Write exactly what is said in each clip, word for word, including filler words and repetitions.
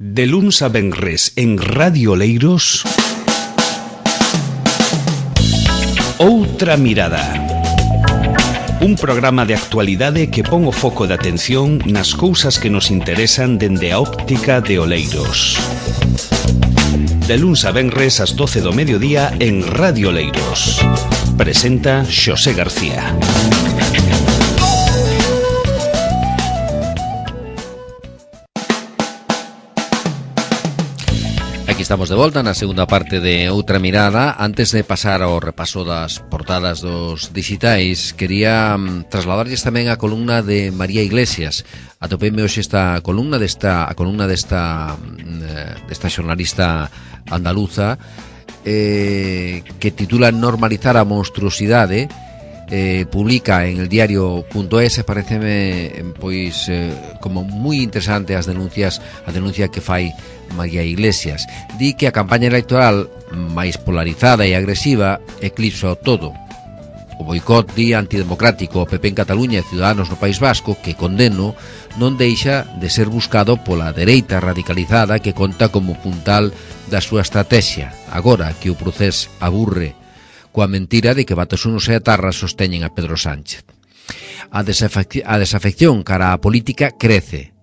De luns a venres en Radio Oleiros, Outra Mirada. Un programa de actualidade que pon o foco de atención nas cousas que nos interesan dende a óptica de Oleiros. De luns a venres ás doce do mediodía en Radio Oleiros. Presenta Xosé García. Aquí estamos de volta na segunda parte de Outra Mirada. Antes de pasar ao repaso das portadas dos digitais, quería um, trasladarlles tamén a columna de María Iglesias. Atopeime hoxe esta columna desta a columna desta uh, desta xornalista andaluza eh, que titula Normalizar a monstruosidade. Eh, publica en el diario.es. Pareceme pois eh, como moi interesante as denuncias a denuncia que fai María Iglesias. Di que a campaña electoral máis polarizada e agresiva eclipsa o todo. O boicot, di, antidemocrático o P P en Cataluña e Ciudadanos no País Vasco, que condeno, non deixa de ser buscado pola dereita radicalizada que conta como puntal da súa estrategia, agora que o procés aburre coa mentira de que Batasuna e Atarra sosteñen a Pedro Sánchez. A, desafec- a desafección cara á política crece,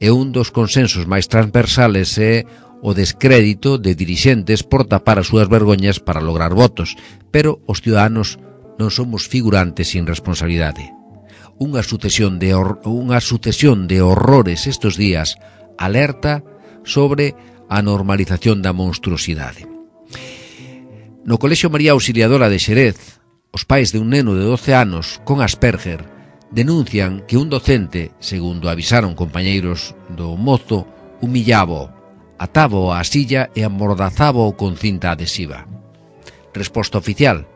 e un dos consensos máis transversales é o descrédito de dirixentes por tapar as súas vergoñas para lograr votos, pero os ciudadanos non somos figurantes sin responsabilidade. Unha sucesión de, hor- unha sucesión de horrores estes días alerta sobre a normalización da monstruosidade. No Colexio María Auxiliadora de Xerez, os pais de un neno de doce anos con Asperger denuncian que un docente, segundo avisaron compañeiros do mozo, humillábao, atábao á silla e amordazábao con cinta adhesiva. Resposta oficial: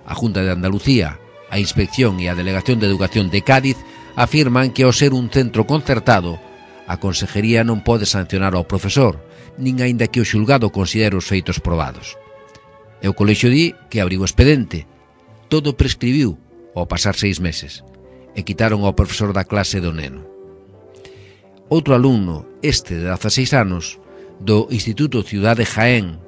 a Junta de Andalucía, a Inspección e a Delegación de Educación de Cádiz afirman que ao ser un centro concertado, a Consejería non pode sancionar ao profesor, nin aínda que o xulgado considere os feitos probados. E o colexio di que abriu expedente. Todo prescribiu ao pasar seis meses e quitaron ao profesor da clase do neno. Outro alumno, este de dezaseis anos, do Instituto Ciudad de Jaén,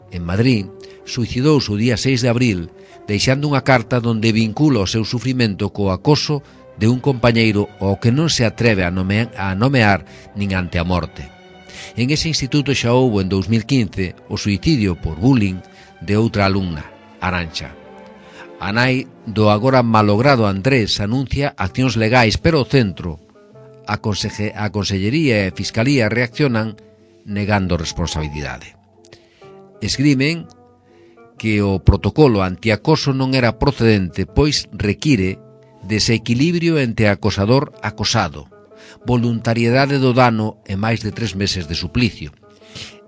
en Madrid, suicidouse o día seis de abril deixando unha carta donde vincula o seu sufrimento co acoso de un compañeiro ao que non se atreve a nomear, a nomear nin ante a morte. En ese instituto xa houbo en dous mil quince o suicidio por bullying de outra alumna, Arancha. A nai do agora malogrado Andrés anuncia accións legais, pero o centro, a, conseje, a Consellería e a Fiscalía reaccionan negando responsabilidade. Esgrimen que o protocolo antiacoso non era procedente, pois require desequilibrio entre acosador-acosado, voluntariedade do dano e máis de tres meses de suplicio.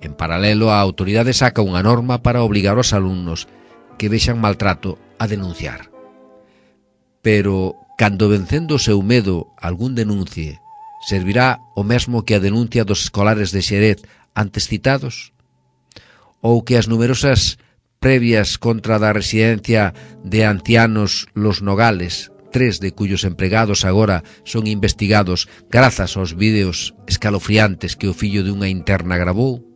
En paralelo, a autoridade saca unha norma para obligar aos alumnos que vexan maltrato a denunciar. Pero, cando vencendo o seu medo algún denuncie, servirá o mesmo que a denuncia dos escolares de Xerez antes citados? Ou que as numerosas previas contra da residencia de ancianos Los Nogales, tres de cuyos empregados agora son investigados grazas aos vídeos escalofriantes que o fillo de unha interna gravou?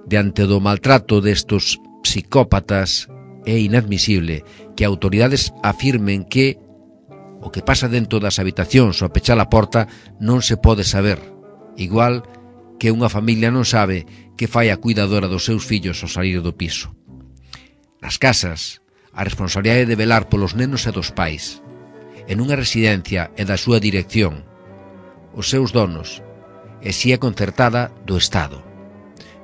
Diante do maltrato destos psicópatas é inadmisible que autoridades afirmen que o que pasa dentro das habitacións ao pechar a porta non se pode saber, igual que unha familia non sabe que fai a cuidadora dos seus fillos ao salir do piso. Nas casas, a responsabilidade de velar polos nenos e dos pais. En unha residencia e da súa dirección, os seus donos, e si é concertada do Estado.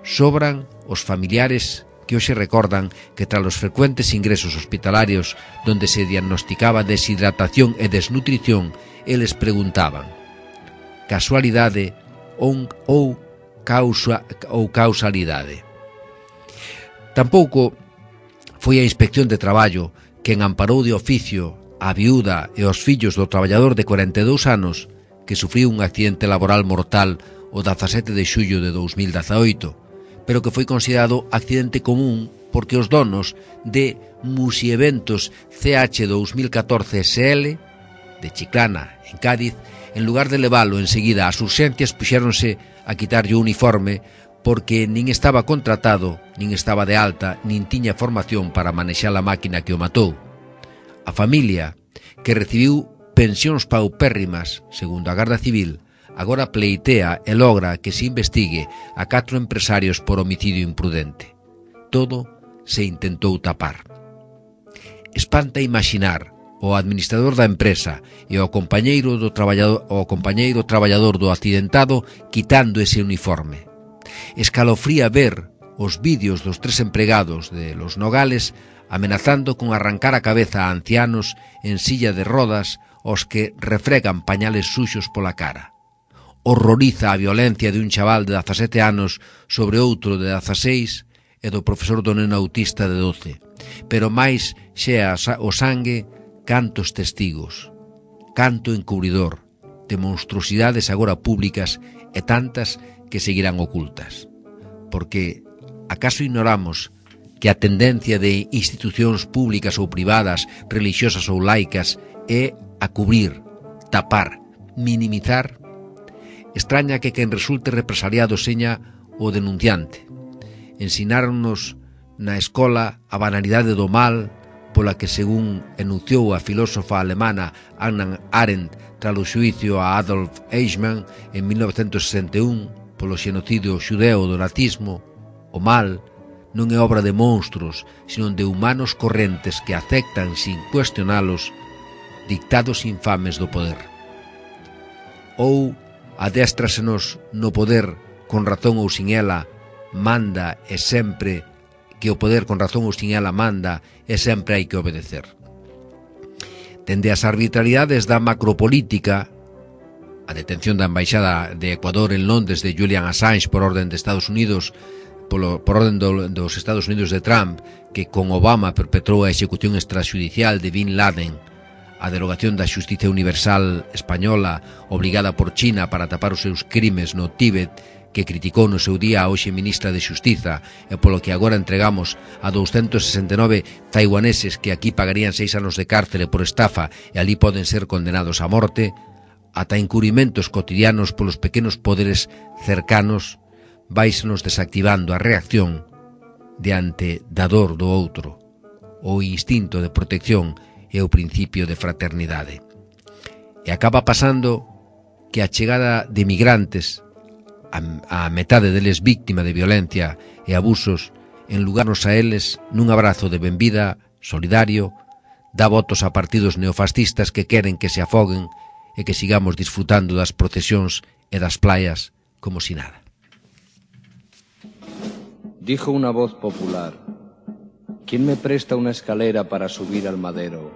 Sobran os familiares que hoxe recordan que tras os frecuentes ingresos hospitalarios donde se diagnosticaba deshidratación e desnutrición, eles preguntaban: casualidade ou, ou, causa, ou causalidade? Tampouco foi a Inspección de Traballo quen amparou de oficio a viúda e os fillos do traballador de cuarenta e dous anos que sufriu un accidente laboral mortal o dezasete de xullo de dous mil dezaoito, pero que foi considerado accidente común porque os donos de Musieventos C H dous mil catorce S L de Chiclana, en Cádiz, en lugar de leválo enseguida ás urxencias, puxéronse a quitarlle o uniforme porque nin estaba contratado, nin estaba de alta, nin tiña formación para manexar a máquina que o matou. A familia, que recibiu pensións paupérrimas, segundo a Garda Civil, agora pleitea e logra que se investigue a catro empresarios por homicidio imprudente. Todo se intentou tapar. Espanta imaginar o administrador da empresa e o compañeiro do traballador, o compañeiro traballador do accidentado quitando ese uniforme. Escalofría ver os vídeos dos tres empregados de Los Nogales amenazando con arrancar a cabeza a ancianos en silla de rodas os que refregan pañales suxos pola cara. Horroriza a violencia de un chaval de dezasete anos sobre outro de dezaseis e do profesor do neno autista de doce. Pero máis xea o sangue, cantos testigos, canto encubridor, de monstruosidades agora públicas e tantas que seguirán ocultas. Porque, acaso ignoramos que a tendencia de institucións públicas ou privadas, religiosas ou laicas, é a cubrir, tapar, minimizar? Extraña que quen resulte represaliado seña o denunciante. Ensináronnos na escola a banalidade do mal pola que, según enunciou a filósofa alemana Hannah Arendt tras o xuicio a Adolf Eichmann en mil novecentos sesenta e un polo xenocidio xudeo do nazismo, o mal non é obra de monstruos, sino de humanos correntes que aceptan sin cuestionalos dictados infames do poder. Ou adéstrasenos no poder con razón ou sin ela manda e sempre que o poder con razón ou sin ela manda e sempre hai que obedecer. Dende as arbitrariedades da macropolítica, a detención da embaixada de Ecuador en Londres de Julian Assange por orden de Estados Unidos, polo, por orden do, dos Estados Unidos de Trump, que con Obama perpetrou a execución extrajudicial de Bin Laden, a derogación da xustiza universal española obrigada por China para tapar os seus crimes no Tíbet, que criticou no seu día a hoxe ministra de Xustiza e polo que agora entregamos a doscientos sesenta e nove taiwaneses que aquí pagarían seis anos de cárcere por estafa e ali poden ser condenados a morte, ata encurimentos cotidianos polos pequenos poderes cercanos, váisenos desactivando a reacción diante da dor do outro, o instinto de protección e o principio de fraternidade. E acaba pasando que a chegada de migrantes, a, a metade deles víctima de violencia e abusos, en lugarnos a eles nun abrazo de benvida solidario, dá votos a partidos neofascistas que queren que se afoguen e que sigamos disfrutando das procesións e das playas como si nada. Dijo una voz popular: ¿quién me presta una escalera para subir al madero?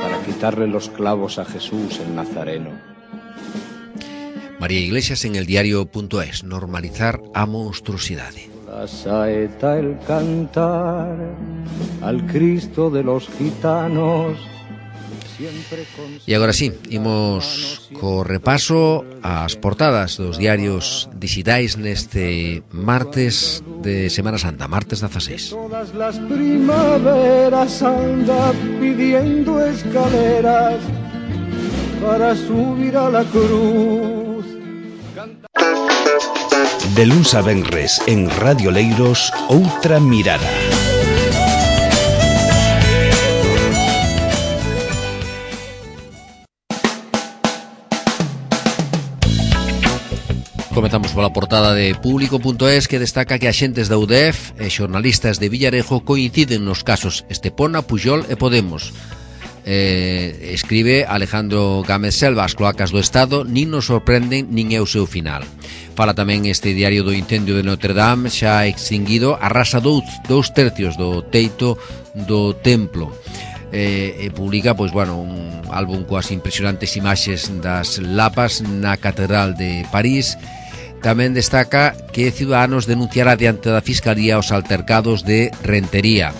Para quitarle los clavos a Jesús el Nazareno. María Iglesias en el diario.es. Normalizar a monstruosidade. La saeta, el cantar al Cristo de los gitanos. E agora sí, imos co repaso ás portadas dos diarios digitais neste martes de Semana Santa, martes dezaseis. Todas las primaveras anda pidiendo escaleras para subir a la cruz. De luns a venres en Radio Leiros, Outra Mirada. Comezamos pola portada de Público.es, que destaca que axentes da U D E F e xornalistas de Villarejo coinciden nos casos Estepona, Pujol e Podemos. Eh, escribe Alejandro Gámez Selva: as cloacas do Estado nin nos sorprenden nin é o seu final. Fala tamén este diario do incendio de Notre Dame, xa extinguido, arrasa dous, dous tercios do teito do templo. E, e publica, pois, bueno, un álbum coas impresionantes imaxes das lapas na Catedral de París. Tamén destaca que Ciudadanos denunciará diante da Fiscalía os altercados de Rentería.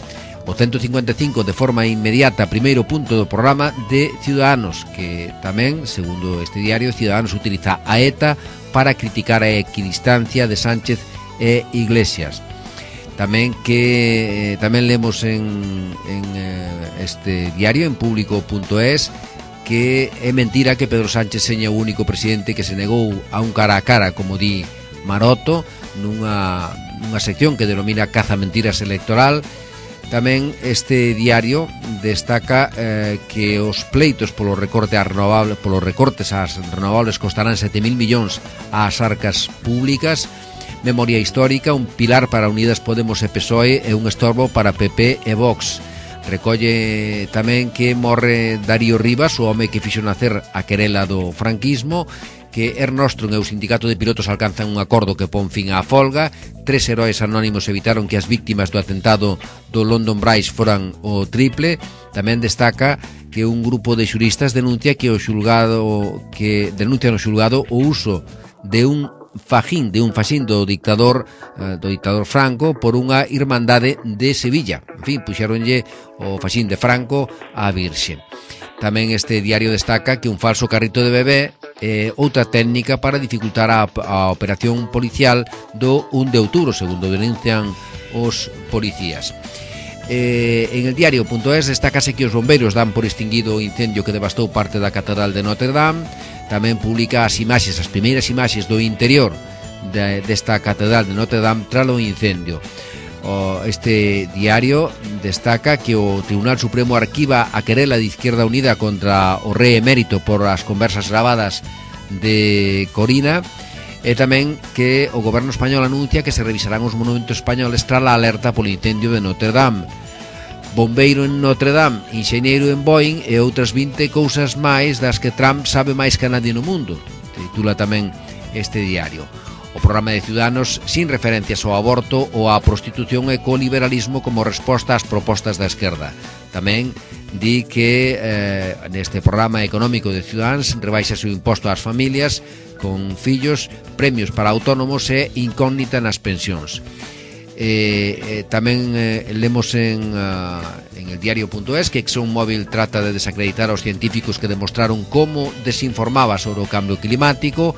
O ciento cincuenta e cinco de forma inmediata, primeiro punto do programa de Ciudadanos, que tamén, segundo este diario, Ciudadanos utiliza a ETA para criticar a equidistancia de Sánchez e Iglesias. Tamén que eh, tamén lemos en, en eh, este diario, en Público.es, que é mentira que Pedro Sánchez seña o único presidente que se negou a un cara a cara, como di Maroto, nunha, nunha sección que denomina caza mentiras electoral. Tamén este diario destaca eh, que os pleitos polo recorte ás renovables, polos recortes ás renovables costarán sete mil millóns ás arcas públicas. Memoria histórica, un pilar para Unidas Podemos e P S O E e un estorbo para P P e Vox. Recolle tamén que morre Darío Rivas, o home que fixo nacer a querela do franquismo, que Ernostrum e o sindicato de pilotos alcanzan un acordo que pon fin á folga. Tres heróis anónimos evitaron que as víctimas do atentado do London Bridge foran o triple. Tamén destaca que un grupo de xuristas denuncia que o xulgado que denuncia no xulgado o uso de un fajín, de un faxín do dictador eh, do dictador Franco por unha irmandade de Sevilla. En fin, puxeronlle o faxín de Franco á Virxe. Tamén este diario destaca que un falso carrito de bebé é eh, outra técnica para dificultar a, a operación policial do un de outubro, segundo denuncian os policías. Eh, en el diario punto es destácase que os bombeiros dan por extinguido o incendio que devastou parte da Catedral de Notre Dame. Tamén publica as imaxes, as primeiras imaxes do interior de, desta Catedral de Notre Dame tras o incendio. O, este diario destaca que o Tribunal Supremo arquiva a querela de Izquierda Unida contra o rei emérito por as conversas gravadas de Corina, e tamén que o goberno español anuncia que se revisarán os monumentos españoles tras a alerta polo incendio de Notre Dame. Bombeiro en Notre Dame, enxeñeiro en Boeing e outras vinte cousas máis das que Trump sabe máis que nadie no mundo, titula tamén este diario. O programa de Ciudadanos sin referencias ao aborto ou á prostitución e co liberalismo como resposta ás propostas da esquerda. Tamén di que eh, neste programa económico de Ciudadanos rebaixa o imposto ás familias con fillos, premios para autónomos e incógnita nas pensións. Eh, eh, tamén eh, lemos en, uh, en el diario punto es que ExxonMobil trata de desacreditar aos científicos que demostraron como desinformaba sobre o cambio climático.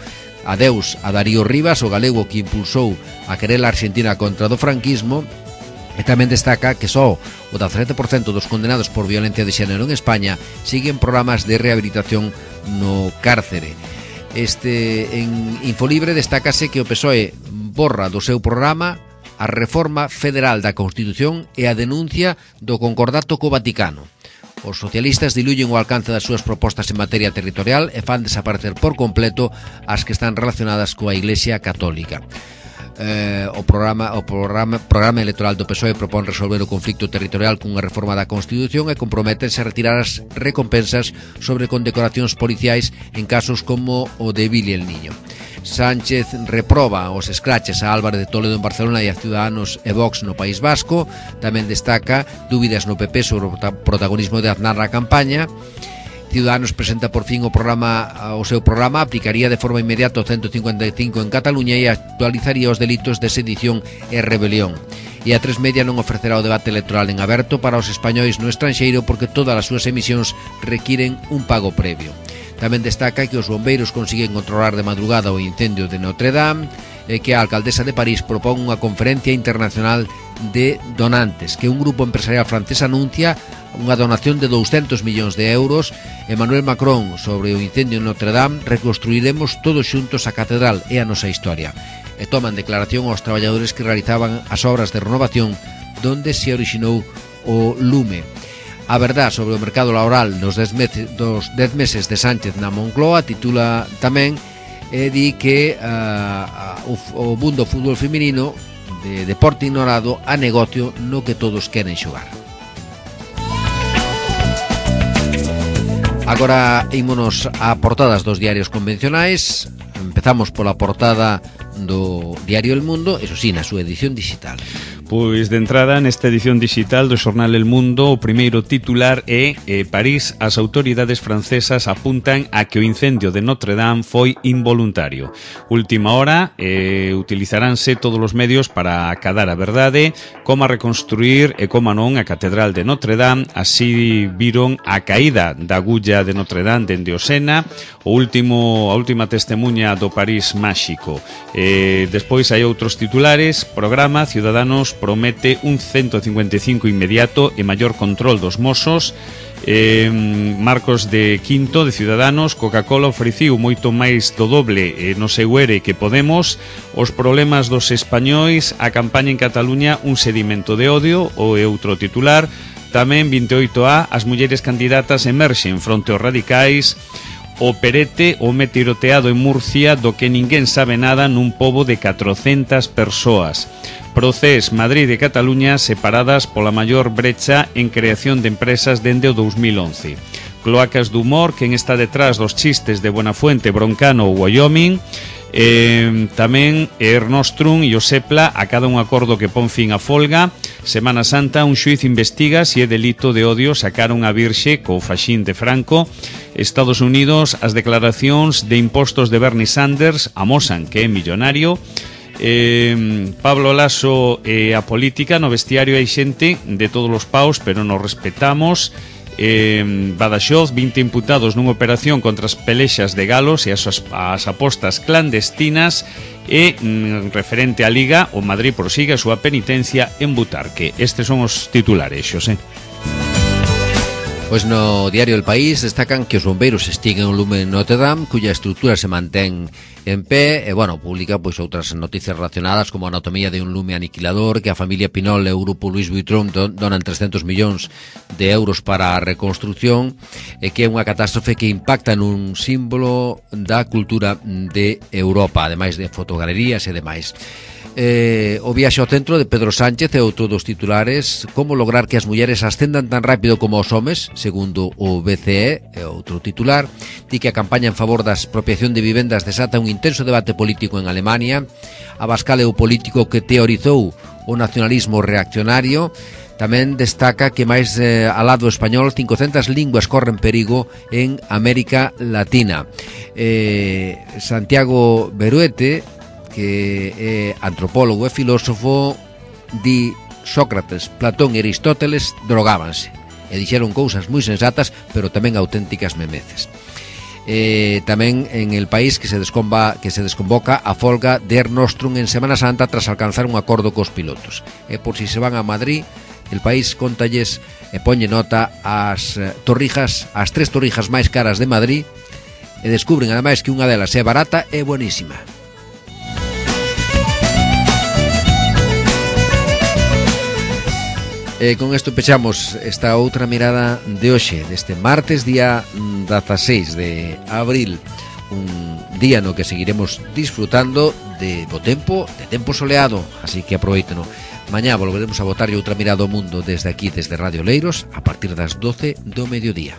Adeus a Darío Rivas, o galego que impulsou a querela argentina contra do franquismo. E tamén destaca que só o dezasete por cento dos condenados por violencia de xénero en España siguen programas de rehabilitación no cárcere. Este, en Infolibre destácase que o P S O E borra do seu programa a reforma federal da Constitución e a denuncia do concordato co Vaticano. Os socialistas diluyen o alcance das súas propostas en materia territorial e fan desaparecer por completo as que están relacionadas coa Iglesia Católica. Eh, o programa o programa, programa electoral do P S O E propón resolver o conflicto territorial cunha reforma da Constitución e comprométense a retirar as recompensas sobre condecoracións policiais en casos como o de Billy el Niño. Sánchez reproba os escraches a Álvarez de Toledo en Barcelona e a Ciudadanos e Vox no País Vasco. Tamén destaca dúbidas no P P sobre o protagonismo de Aznar na campaña. Ciudadanos presenta por fin o programa o seu programa, aplicaría de forma inmediata o ciento cincuenta e cinco en Cataluña e actualizaría os delitos de sedición e rebelión. E a tres media non ofrecerá o debate electoral en aberto para os españois no estranxeiro porque todas as súas emisións requiren un pago previo. Tamén destaca que os bombeiros consiguen controlar de madrugada o incendio de Notre Dame e que a alcaldesa de París propón unha conferencia internacional de donantes, que un grupo empresarial francés anuncia unha donación de douscentos millóns de euros. Emmanuel Macron sobre o incendio en Notre Dame: reconstruiremos todos xuntos a catedral e a nosa historia. E toman declaración aos traballadores que realizaban as obras de renovación donde se orixinou o lume. A verdad sobre o mercado laboral nos dez meses, dos dez meses de Sánchez na Moncloa titula tamén e di que uh, o, o mundo fútbol feminino de deporte ignorado a negocio no que todos queren xogar. Agora ímonos a portadas dos diarios convencionais. Empezamos pola portada do diario El Mundo, eso sí, na súa edición digital. Pois de entrada nesta edición digital do xornal El Mundo o primeiro titular é eh, París, as autoridades francesas apuntan a que o incendio de Notre Dame foi involuntario. Última hora, eh, utilizaránse todos os medios para acadar a verdade, como a reconstruir e como non a Catedral de Notre Dame. Así viron a caída da agulla de Notre Dame dende o Sena, o último, a última testemunha do París máxico. Eh, despois hai outros titulares. Programa Ciudadanos promete un ciento cincuenta e cinco inmediato e maior control dos mozos. eh, Marcos de Quinto, de Ciudadanos. Coca-Cola ofreciu moito máis do doble eh, no seu ere que Podemos. Os problemas dos españois, a campaña en Cataluña, un sedimento de odio, o é outro titular. Tamén vinte e oito A, as mulleres candidatas emerxen fronte aos radicais. O perete, o tiroteado en Murcia, do que ninguén sabe nada nun pobo de catrocentas persoas. Procés, Madrid e Cataluña separadas pola maior brecha en creación de empresas dende o dous mil once. Cloacas do humor, quen está detrás dos chistes de Buenafuente, Broncano ou Wyoming. Eh, tamén Ernostrum e o Sepla acada un acordo que pon fin a folga. Semana Santa, un xuiz investiga se é delito de odio sacar unha virxe co faxín de Franco. Estados Unidos, as declaracións de impostos de Bernie Sanders amosan que é millonario. Eh, Pablo Laso e eh, a política, no vestiario hai xente de todos os paus, pero nos respetamos. eh, Badaxoz, vinte imputados nunha operación contra as pelexas de galos e as, as apostas clandestinas. E mm, referente á Liga, o Madrid prosigue a súa penitencia en Butarque. Estes son os titulares, Xosé. Pois no diario El País destacan que os bombeiros extinguen o lume en Notre Dame, cuya estrutura se mantén en pé, e, bueno, publica pois outras noticias relacionadas como a anatomía de un lume aniquilador, que a familia Pinol e o grupo Louis Vuitton donan trescentos millóns de euros para a reconstrucción, e que é unha catástrofe que impacta nun símbolo da cultura de Europa, ademais de fotogalerías e demais. Eh, o viaxe ao centro de Pedro Sánchez é outro dos titulares. Como lograr que as mulleres ascendan tan rápido como os homes, segundo o B C E, é outro titular. Di que a campaña en favor da expropiación de vivendas desata un intenso debate político en Alemania. Abascal é o político que teorizou o nacionalismo reaccionario. Tamén destaca que máis eh, al lado español cincocentas linguas corren perigo en América Latina. eh, Santiago Beruete, que é antropólogo e filósofo, di Sócrates, Platón e Aristóteles drogábanse e dixeron cousas moi sensatas, pero tamén auténticas memeces. Eh, tamén en El País que se descomba, que se desconvoca a folga de Ernostrum en Semana Santa tras alcanzar un acordo cos pilotos. E por si se van a Madrid, El País contalles e ponlle nota as torrijas, as tres torrijas máis caras de Madrid, e descubren ademais que unha delas é barata e buenísima. E con isto pechamos esta outra mirada de hoxe, deste martes, día dieciséis de abril, un día no que seguiremos disfrutando de bo tempo, de tempo soleado, así que aproveiteno. Mañá volveremos a botarlle outra mirada ao mundo desde aquí, desde Radio Oleiros, a partir das doce do mediodía.